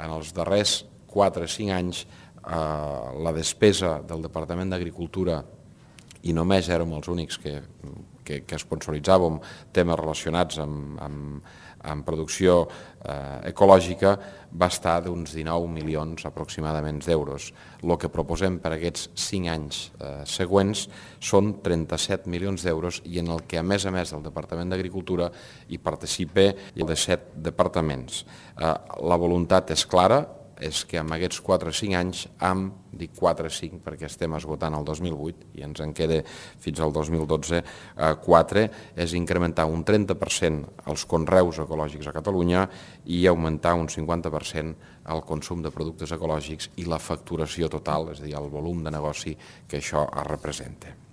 en els darrers 4 o 5 anys la despesa del Departament d'Agricultura, i només érem els únics que sponsoritzàvem temes relacionats amb producció ecològica, va estar d'uns 19 milions aproximadament d'euros. El que proposem per aquests 5 anys següents són 37 milions d'euros i en el que a més del Departament d'Agricultura hi participa el de 7 departaments. La voluntat és clara, és que en aquests 4 o 5 anys, dic 4 o 5 perquè estem esgotant el 2008 i ens en queda fins al 2012, 4, és incrementar un 30% els conreus ecològics a Catalunya i augmentar un 50% el consum de productes ecològics i la facturació total, és a dir, el volum de negoci que això representa.